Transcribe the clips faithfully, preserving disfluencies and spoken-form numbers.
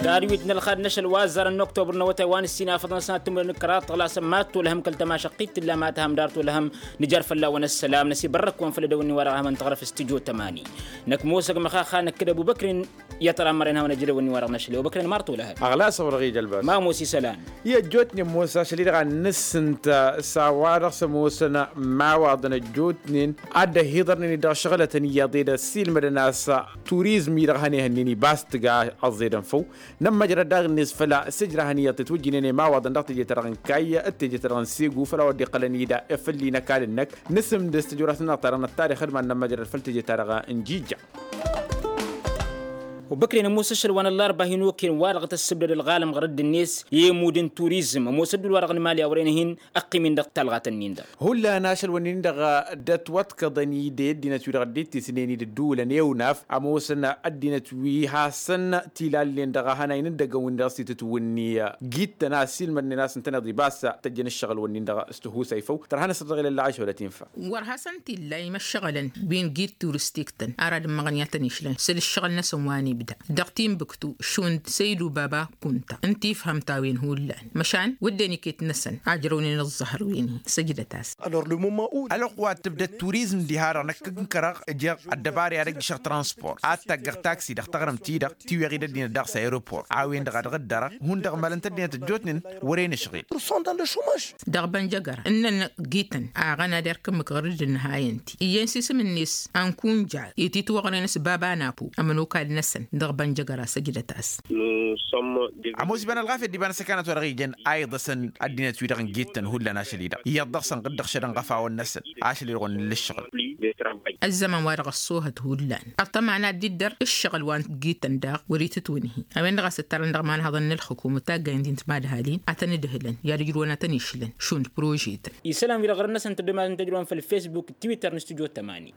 Tadwit n-ălxad n-ašăl wa ăzzarăn n-oktobăr n-awătay wa n-ǝssin afăḍăn sănat timǝrwen n-kăraḍ tăɣlasăn mad-tolăhăm kăl-tămašăqqit tǝlla ma tǝhăm dar tolăhăm. Nǝjar fălla-wen ăssălam năsibărrăk-wen făll-edăwănni wa dăɣ-ehămăn tăɣrăf s-tǝjo tămani. Năkk ămoosăg măxaxa năkk d-ăbubăkrin. I-ad-tărammărăn hawăn-ăj edăwănni wa dăɣ-năšăl i-ăbubăkrin mărtolăhăt. Ăɣlas ăwrăɣ-ija ălbas ma ămoos isălan. I-ăjjootnen ămoos ašăl-i-dăɣ a n-ǝssǝnt s-a-wa-dăɣ s-ămoosăn imawaḍăn ăjjootnen ad-dd-ăhhiḍărnen-dd dăɣ-šăɣlătăn iyyăḍ ed ăssiilmădăn a-s turizm-i-dăɣ hănehănnen ibas tǝga ăẓẓedăn făw. Nămmăjrăd daɣ-net făll-a s-ǝjrahăn iyyăḍ tǝtwǝjjǝnen i-imawaḍăn dăɣ-teje-ta-dăɣ n-kayy d-teje-ta-dăɣ n-segu făll-a-wa dd-iqqălăn-dd efăl-i n-ăkall-năk. Nǝsǝmdǝs tijorasăn-dăɣ ta dăɣ-năttarix d-iman nămmăjrăd făll-teje-ta-dăɣ n-jijja. Obăkren ămoos ašăl wa n-ăllarba hin-okăyăn wa-dăɣ tăssǝbdăd ălɣalăm ɣur-dd-net i-emud n-turizm ămoos ădduul-wa-dăɣ n-imali a wăren-hin. Ăqqim-in dăɣ-talɣat-nin-dăɣ. Hullan ašăl-wǝnnin-dăɣ dd-ătwăḍkăḍăn-dd i-ăddinăt-wi-dăɣ dd-ittisnen-dd ǝddǝwǝlăn i-unaf ămoosăn ăddinăt wi hasăn-tilallen dăɣ-ehănay n-ǝddăgăn-win-dăɣ s-itǝtwǝnni. Gittăn a ăssiilmădnen a-s ǝntăneḍ-i bas tăjjăn ǝššăɣǝl-wǝnnin-dăɣ s-tihusay făw tărha n-asăr dăɣ-ilălla ašăwălăt infa. Wăr hasăn-t-illa imăššăɣǝlăn wi n-git turistik-tăn ara d-ǝmmăɣăn i-ad-tăn-išlăn săl ǝššăɣǝl-năsăn wa n-ibda dăɣ-tinbǝktu šund săydu baba kunta ǝnta ifhăm-t a-wen hullan măšan wădden iket-năsăn ajrăwnen ăẓẓăhăr wi n-hi săjdăt-as. Ălwăqq wa t-tǝbdăd turizm diha-dăɣ năkk n-kăraɣ ǝjeɣ ăddăbara i-ad-ăjjǝšăɣ transport ad-taggăɣ taksi dăɣ-taɣrǝmt-i-dăɣ tiwweɣ-dd ăddinăt daɣ s-aeroport a-wen-dăɣ a dăɣ-dd-ărăɣ hundăɣ malăn-t ăddinăt ăjjootnen. Wăren ǝšɣil. Dăɣ-bănjăgăra ǝnnăn gităn aɣăna d-erk ǝmmǝk ɣur-dd ǝnnăhayăn-t iyyăn s-isǝm-net ankunja ititwăɣnen s-baba napo ămănokal-năsăn dăɣ-bănjăgăra săjdăt-as. Ămoos iba n-ălɣafyăt d-iba n-asăkanăt wa dăɣ-ijăn a iḍăsăn ăddinăt-wi-dăɣ n-gittăn hullan ašăl-i-dăɣ iyyăḍ dăɣ-săn ɣǝddăɣ šădăn ɣăfawăn-năsăn. Ašăl-i-dăɣ wănnăn l-ǝššăɣǝl. Ăzzăman wa dăɣ-ăṣṣoohăt hullan ăṭṭăma n-ad-dd-iddăr ǝššăɣǝl wa n-gittăn daɣ wăr-itǝtwǝnhi. A-wen-dăɣ a-s ǝttarăn dăɣ-imanhăḍăn n-ălxǝkum ǝtaggayen-ti n-timadhalin ad-tăn-ǝdhǝlăn i-ad-ǝjrǝwăn ad-tăn-išlăn šund prožetăn. Isălan-wi-dăɣ ɣur-năsăn tăddomayăn tăjrǝwăn făll-fesbuk d-twitter n-stujo tămani.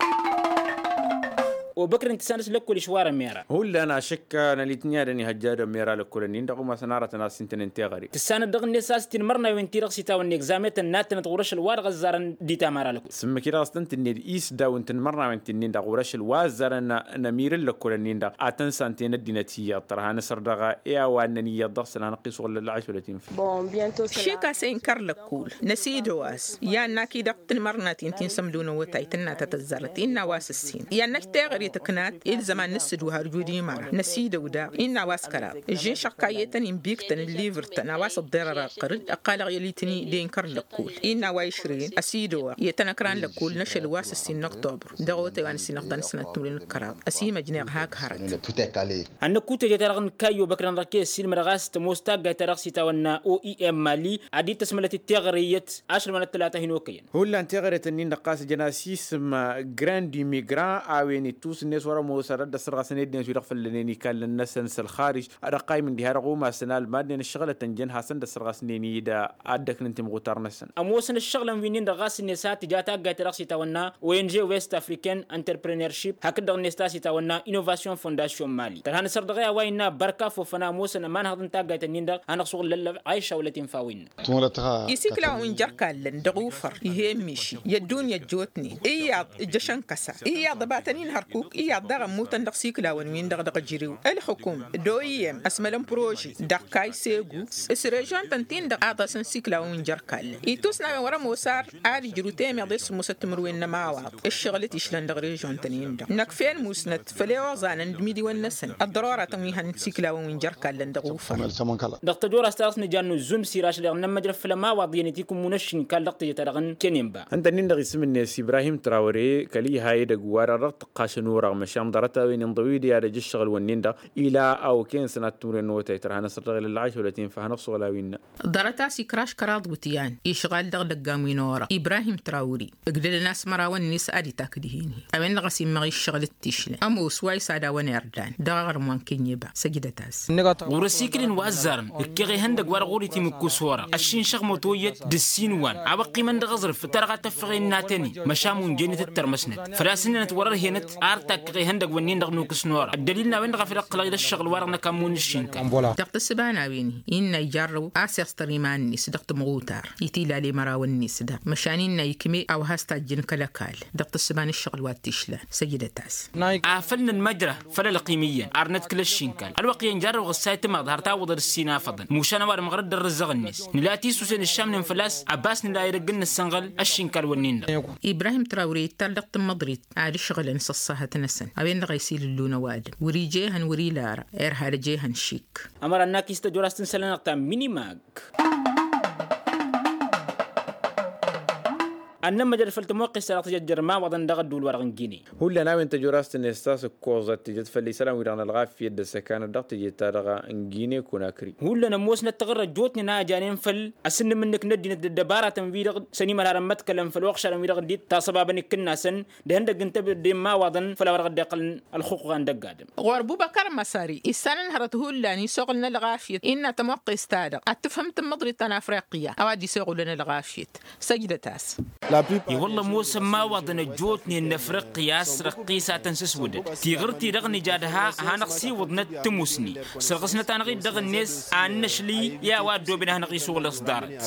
Obăkren tǝssanăt lăkkol išwarăn mera. Hullan ašăkka n-alitni ad-ănihăjja ad-ămmera lăkkolăn-in-dăɣ umasăn aratăn a-s intănen teɣăre. Tǝssanăt dăɣ-net a-s tinmărnawen-ti-dăɣ s-itawănna egzametăn n-ad-tănăt ɣur-ašăl wa dăɣ-ăzzarăn d-itamara lăkkol. S-ǝmmǝk-i-dăɣ a-s tăn-tǝnned isdawǝn tinmărnawen-ti-nin-dăɣ ɣur-ašăl wa ăzzarăn n-ămirǝl lăkkolăn-in-dăɣ ad-tăn-santen ăddinăt iyyăḍ tărha n-asăr dăɣ-e a wa ǝnnăn iyyăḍ dăɣ-săn hanăɣ-t-isuɣǝl lălla ašăl ătinfa. Šik a-s inkăr lăkkol năsidăw a-s i-ad-nak-i-dăɣ tǝnmărnaten ti n-sămdǝw n-awătay tǝnna ta tăzzarăt innă a-wa s-ǝssin i-ad-năj teɣăre tǝknat ilzăman n-ǝssǝdwăh ărju d-imăra năsidăw daɣ innă a-wa s-kăraḍ. Ǝžžin šăɣ kayyetăn inbiktăn ǝllivǝrtăn a-wa s-ăḍḍerăr ăqqărǝd ăqqalăɣ i-ălitni d-inkăr lăkkol innă a-wa išrǝyăn ăsidăwăɣ i-tăn-ăkran lăkkol n-ašăl wa s-ǝssin n-oktobăr. Dăɣ-awătay wa n-ăssin ăɣḍan sănat timǝrwen d-kăraḍ ăsimăjneɣ hak hărăt. Ănnăkut teje-ta-dăɣ n-kayy obăkrăn dăɣ-kăy-ăssiilmădăɣ a-s tămoos taggayt-ta-dăɣ s-itawănna oem mali ad-dd-tăsmălăt d-teɣăre iyyăt ašăl wa n-ăttălata hin-okăyăn. Hullan teɣăre-tăn-in-dăɣ ɣas ǝjăn-as isǝm grand imigrant a-wen ittus-net wăr-ămoos ad-dd-ăssărɣăsăn i-ăddinăt-wi-dăɣ făllănen ikallen-năsăn s-ălxarij. Ad-ăqqaymǝn diha-dăɣ umasăn almadnen ǝššăɣǝlătăn jăn hasăn-dd-ăssărɣăsnen-dd ad-dd-ăknǝn timɣutar-năsăn. Ămoosăn ǝššăɣǝlăn wi-nin-dăɣ ɣas-net a tǝja taggayt-ta-dăɣ s-itawănna ong west african entrepreneurship hakd-dăɣ-net a-s itawănna inovation fondation mali tărha n-asăr dăɣ-e a-wa innă bărka fofăn a ămoosăn ămanhăḍ n-taggayt-nin-dăɣ hanăɣ-suɣǝl lăllăɣ. Ayiša wălăt infa wi-innă. Isikla wa n-jărkallăn dăɣ-ufăr ih'-e n-miši i-ăddunya ăjjootnen iyyăḍ ǝjjăšăn kăsa iyyăḍ ăbatăn-in hărkuk iyyăḍ daɣ ămmutăn dăɣ-isiklawăn-win-dăɣ dăɣ-ǝjrew ǝlxǝkum d-oem ăsmălăn prože dăɣ-kayy segu s-režion-tăn-tin-dăɣ a ḍasăn isiklawăn wi n-jărkallăn itusnawen wăr-ămoos ar ad-ǝjrǝw temeḍe s-sǝmmosăt timǝrwen n-ămawaḍ ǝššăɣǝl t-išlăn dăɣ-režion-tăn-in-dăɣ năkk făll-musnăt făll-e oẓanăn d-imidiwăn-năsăn ăḍḍărora-tăn wi hannăt isiklawăn wi n-jărkallăn dăɣ-ufăr. Dăɣ-tăjora s-ta-dăɣ s-nǝjannu zumsir ašăl-i-dăɣ n-ămmăjrăf făll-ămawaḍ iyyăn itikum munăššin kall-dăɣ teje-ta-dăɣ n-kenenba. Ǝnta-nin-dăɣ isǝm-net ibrahim trawăre kăl-iha edăgg wa-dăɣ dăɣ-tǝqqasăn orăɣ măšan ḍarăt-a-wen inḍăw-dd i-ad-ăj ǝššăɣǝl-wǝnnin-dăɣ ila a okăyăn sănat timǝrwen n-otay tărha n-asăr dăɣ-ilălla ašăl wa t-infa hanăɣ-suɣǝl a-wi innă. Ḍarăt a-s ikraš kăraḍ iwǝtyan išɣal dăɣ-idăggan wi n-orăɣ ibrahim trawăre ǝgdădăn a-s mărawăn-net ad-itak dihen-hi. A-wen-dăɣ a-s immăɣ iššăɣǝl d-tišlăn ămoos wa isad a-wăn irdan dăɣ-aɣrǝm wa n-kănyeba săjdăt-as. Ɣur-ăsikǝlăn wa ăzzarăn ǝkkeɣ ihăndăgg wa dăɣ-wăr-itimǝkkus orăɣ ăššinšăɣ mătoyyăt d-ǝssin wa a-wa ăqqimăn dăɣ-aẓrǝf ǝttarăɣ ad-tăffăɣ innatăn-i măšan wi n-jennăt d-tărmăsnăt făl-a-s ǝnnănăt wăr-ăr henăt a. Takkăɣ ihăndăg wănnin-dăɣ nukǝs n-ora ăddălil n-a-wen-dăɣ a făl ǝqqǝlăɣ-dd ăššăɣǝl-wa-dăɣ n-ăkammǝw n-ǝššǝnkal. Dăɣ-tǝssǝba n-a-wen innă ijarrăw a-s iẓtăr iman-net dăɣ-tǝmɣutar. Itilal i-mărawăn-net daɣ măšan innă ikme a-wa has-tajjǝn kăl-ăkall. Dăɣ-tǝssǝba n-ǝššăɣǝl wa t-išlan săjdăt-as. Afăl nǝnmăjrăh făll-ălqim iyyăn ar nădkǝl ăššinkal ălwăqq iyyăn jarrăwăɣ ǝssay tǝmaḍ har tawwăḍăd ǝssin afăḍăn mušan ăwadǝm ɣur-dd ărrǝzzăɣ-net nǝla tisusen ǝššamnen făl-a-s. Ăbas nǝla edăgg n-nǝssănɣăl ăššinkal-wǝnnin-dăɣ. Ibrahim trawre ittal dăɣ-tǝmmăḍrit ad-ǝšɣǝlăn s-ăṣṣahăt-năsăn a-wen-dăɣ a isilǝllun ăwadǝm wăr-ija ehăn wăr-ila ara. Irhal ăj ehăn šik. Ămăra n-akis tăjorast n-isălan-dăɣ ta n-minimak. Ad-nămmăjăd făll-tămoqqes-ta-dăɣ tǝjăt jer-imawaḍăn dăɣ-ădduul-wa-dăɣ n-gine. Hullan a-wen tăjorast-net ta s-ǝkkoẓăt tǝjăt făll-isălan-wi-dăɣ n-ălɣafyăt d-ăssăkanăt dăɣ-teje-ta-dăɣ n-gine konakri. Hullan ămoosnăt taɣǝrra ăjjootnen a ăjanen făll-asǝnnǝm-nǝk n-ăddinăt d-ăddăbaratăn-wi-dăɣ s-ănimălharăn măḍkălăn făll-oɣšarăn-wi-dăɣ dd-tasăbabăn ikǝnnasăn d-ihăndăgg n-tebădde n-imawaḍăn făll-a-wa dăɣ-dd-iqqălăn ălxuqqa n-dăgg-adǝm. Ɣur-bubăkăr măsări issanăn hărăt hullan isoɣǝlăn ălɣafyăt innă tămoqqes-ta-dăɣ ad-tǝfhǝm tǝmmăḍrit ta n-afriqya a-wa dd-isoɣǝlăn ălɣafyăt. Săjdăt-as. I-wălla ămoosăn imawaḍăn ăjjootnen n-afriqya a-s răqqisatăn s-ǝswǝdăd tiɣǝrt-i-dăɣ nǝja d-ha a hanăɣ-siwǝḍnăt tǝmusni sărɣǝsnăt-anăɣ-dd dăɣ-net ad-năšli i-a-wa ăddooben a hanăɣ-isuɣǝl s-ḍarăt.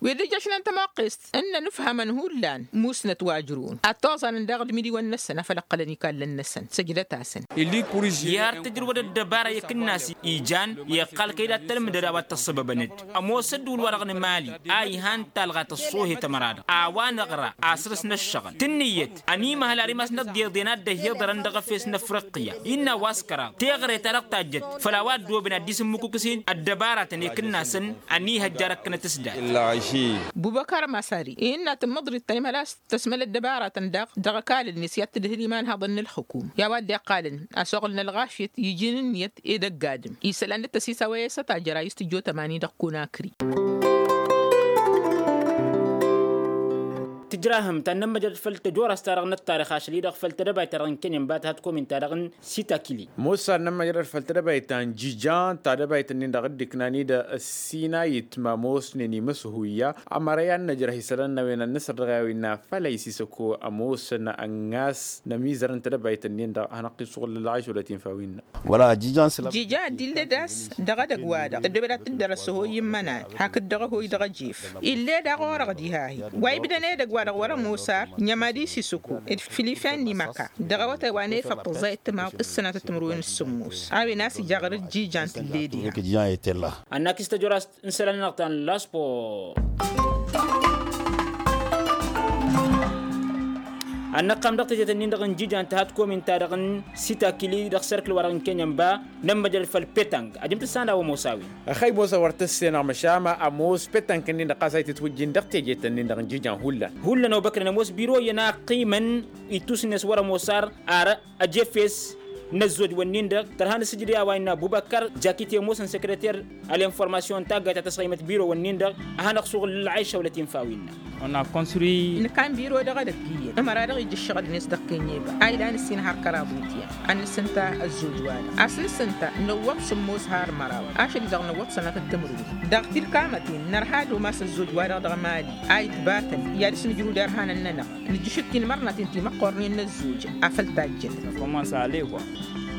Wi dd-ijăšnen tămoqqest ǝnnăn ǝfhămăn hullan musnăt wa ǝjrǝwăn ad-toẓanăn daɣ d-imǝdiwăn-năsăn a făl ǝqqălăn ikallăn-năsăn săjdăt-asăn. Iyyăr tǝjrǝwăd ăddăbara i-kǝnnas ijan iqqal kăy-dd ad-tălmǝdăd a-wa t-ăṣṣăbăbăn-dd ămoos ădduul-wa-dăɣ n-mali a ihan talɣa tăṣṣoohet ămăra-dăɣ a-wa năɣra asrǝs n-ăššăɣǝl tǝnnǝyăt ănimăhăl ar imasnăt d-iḍen a dd-ăhiḍărăn dăɣ-efes n-afriqya. Innă a-wa s-kăraḍ teɣăre-ta-dăɣ tajjăt făll-a-wa ăddooben ad-dd-isǝmmǝkukǝs-in ăddăbaratăn i-kǝnnasăn ănihăjja răkkănăt s-dat. Bubăkar masari innă tǝmmăḍrit ta n-imhăl a-s tăsmăl ăddăbaratăn daɣ dăɣ-ăkall-net i-ad-tǝdhǝl iman-haḍăn n-ǝlxǝkum i-a-wa dd-iqqalăn ăsoɣǝl n-ălɣafyăt iji n-ǝnniyăt edăgg adǝm isălan d-tăsisawăy a-s ătajăr a istǝjjo tămani dăɣ-kunakri. Tǝjrahăm ta n-nămmăjrăd făll-tăjorast-ta-dăɣ n-ăttarix ašăl-i-dăɣ făll-tedăbayt-ta-dăɣ n-kăyăn ba tăhat komin-ta-dăɣ n-sitakili. Ămoos a n-nămmăjrăd făll-tedăbayt ta n-jijan tadăbayt-nin-dăɣ dd-ǝknan-dd ăssinayǝt ma ămoosnen imǝshuyya. Ămăra i-ad-nǝjrăh isălan n-a-wen ad-nǝsăr dăɣ-e a-wa innă făl a isisăko ămoosăn ănnas n-ămizăr n-tedăbayt-nin-dăɣ a hanăɣ-t-isuɣǝl ălɣayš wăla t-infa wi ǝnnă. Jijan dd-illa d-a-s dăɣ-edăgg-wa-dăɣ ăddobed ad-t-dd-ărăs ăhoy immănan hakd dăɣ-ăhoy dăɣ-ejef. Ill'-e daɣ orăɣ diha-hi wa ibdăn edăgg-wa-dăɣ wăr-ămoos ar. Ǝnhămad isisǝko d-fǝl ifen n-imăka dăɣ-awătay wa n-efăḍ tǝẓẓayăt timaḍ s-sănatăt timǝrwen s-sǝmmos. A-wen a-s ija ɣur-dd jijan tǝll'-e diha. Ănnakǝs tăjorast n-isălan-nănăɣ ta n-laspor. Ad-năqqam dăɣ-tejet-nin-dăɣ n-jijan tăhat komin-ta-dăɣ n-sitakili dăɣ-serkǝl-wa-dăɣ n-kenyănba. Nămmăjăl făll-petănk ajǝm tǝssan a-wa ămoos a-wen. Ăxăy ămoos a wăr tǝssenăɣ măšan ma ămoos petănk-nin-dăɣ ɣas a itǝtwǝjjin dăɣ-tejet-nin-dăɣ n-jijan hullan. Hullan obăkrăn ămoos biro iyyăn a ăqqimăn ittus-net wăr-ămoos ar ar ăjefes n-ăzzojwăn-nin-dăɣ tărha n-asǝjǝd i-a-wa innă ăbubăkkăr jakit i-ămoosăn sekreter ălinformasyon n-taggayt ta tăsɣăymăt birowăn-nin-dăɣ. A hanăɣ-suɣǝl ǝlɣayša wăla t-infa wi innă. Nǝkan biro dăɣ-edăgg iyyăn ămăra dăɣ-ija ǝššăɣǝl-net dăɣ-kenyeba a ilan ǝssin har kăraḍ wityan. Ad-nǝsǝnta ăzzoj-wa-dăɣ a-s nǝsǝnta năwwăḍ sǝmmos har măraw ašăl-i-dăɣ năwwăḍ sănatăt timǝrwen. Dăɣ-tilkamăten nărha ad-umas ăzzoj-wa-dăɣ dăɣ-mali a itbatăn i-ad-dăɣ-s nǝjrǝw derhanăn-nănăɣ. Nǝjjǝšǝt tinmărnaten timăqqornen n-ăzzoj afăl tajjănăt.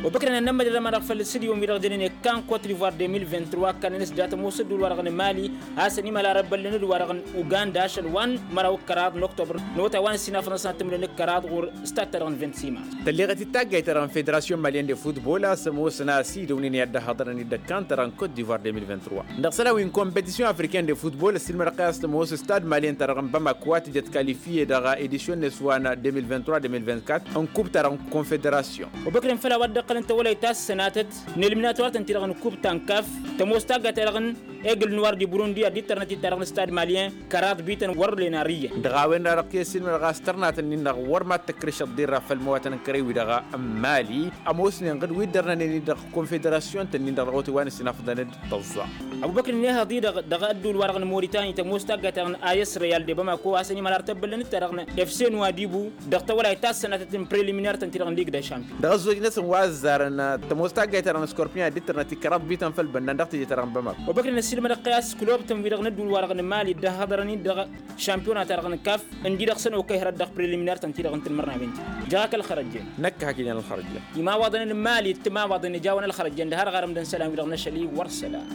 Obăkrăn ad-nămmăjrăd ămanăɣ făll-sǝdyon-wi-dăɣ jănen ekkan kot divoir deux mille vingt-trois ăkkanăn s-dat ămoos ădduul-wa-dăɣ n-mali a-s ănimăhăl ar ăbbăllăn d-wa-dăɣ n-uganda ašăl wa n-măraw d-kăraḍ n-oktobăr n-awătay wa n-ăssinafăn ad-sănat tǝmdăn d-kăraḍ ɣur-statăt-ta-dăɣ n-vint simas. Tălleɣăt-dd taggayt-ta-dăɣ n-federasyon malyen de futbol a-s ămoosăn a-s idăwnen i-ad-dd-ăhhăḍărăn d-ăkkan-ta-dăɣ n-kot divoir deux mille vingt-trois. Dăɣ-isălan wi n-kompetisiyon afriken de futbol ăssiilmădăɣ-kăy a-s tămoos stad malyen-ta dăɣ-n bamako a tǝjăt kalifye dăɣ-edisyon-net wa n-deux mille vingt-trois deux mille vingt-quatre n-kub-ta-dăɣ n-konfederasyon. Obăkrăn făll-a-wa dd-ăqqălăn tawălayt ta s-sănatăt n-eliminator-tăn-ti-dăɣ n-kub ta n-kaf tămoos taggayt-ta-dăɣ n-egl n-war di burundi ad-dd-tărnăt-dd ta dăɣ-nǝstad malyen kăraḍ bităn wăr-len ar iyyăn. Dăɣ-a-wen-dăɣ a dăɣ-t-ăssiilmădăɣ a-s tărnatăn-in-dăɣ wăr mad-tăkrǝšăḍ d-irra făll-mawatăn n-kărăy-wi-dăɣ n-mali ămoosnen ɣǝd wi dd-ărnănen-i dăɣ-konfederasyon-tăn-in-dăɣ dăɣ-awătay wa n-ăssinafăḍăn-dd tăẓẓa. Ăbubăkr n-ehăḍ-i-dăɣ dăɣ-ădduul-wa-dăɣ n-moritani tămoos taggayt-ta-dăɣ n-a s real de bamako a-s ănimăhăl ar tăbbăllăn-dd ta dăɣ-năf s n-wadibu dăɣ-tawălayt ta s-sănatăt n-preliminăr-tăn-ti-dăɣ n-liga de champion. Dăɣ-ăzzojnăsăn wa ăzzarăn tămoos taggayt-ta-dăɣ n-scorpion ad-dd-tărnăt i-kăraḍ bităn făll-bănnan dăɣ-teje-ta-dăɣ n-bamako. Obăkr n-ad Sǝlmădăɣ-t i-a-s kulub-tăn-wi-dăɣ n-ădduul-wa-dăɣ n-imali dd-ăhhăḍărăn-in dăɣ-šampiyona-ta-dăɣ n-kaf ǝndi-dăɣ săn okăy hărăt dăɣ-preliminăr-tăn-ti-dăɣ n-tanmărnawen-ti. Jăɣ-ak ălxărăjjen. Năkk hak ijan ălxărăjjen. Imawaḍăn n-imali d-timawaḍăn ijawăn ălxărăjjen d-har ɣarăm d-ănn isălan-wi-dăɣ n-ašăl-i wăr isălan.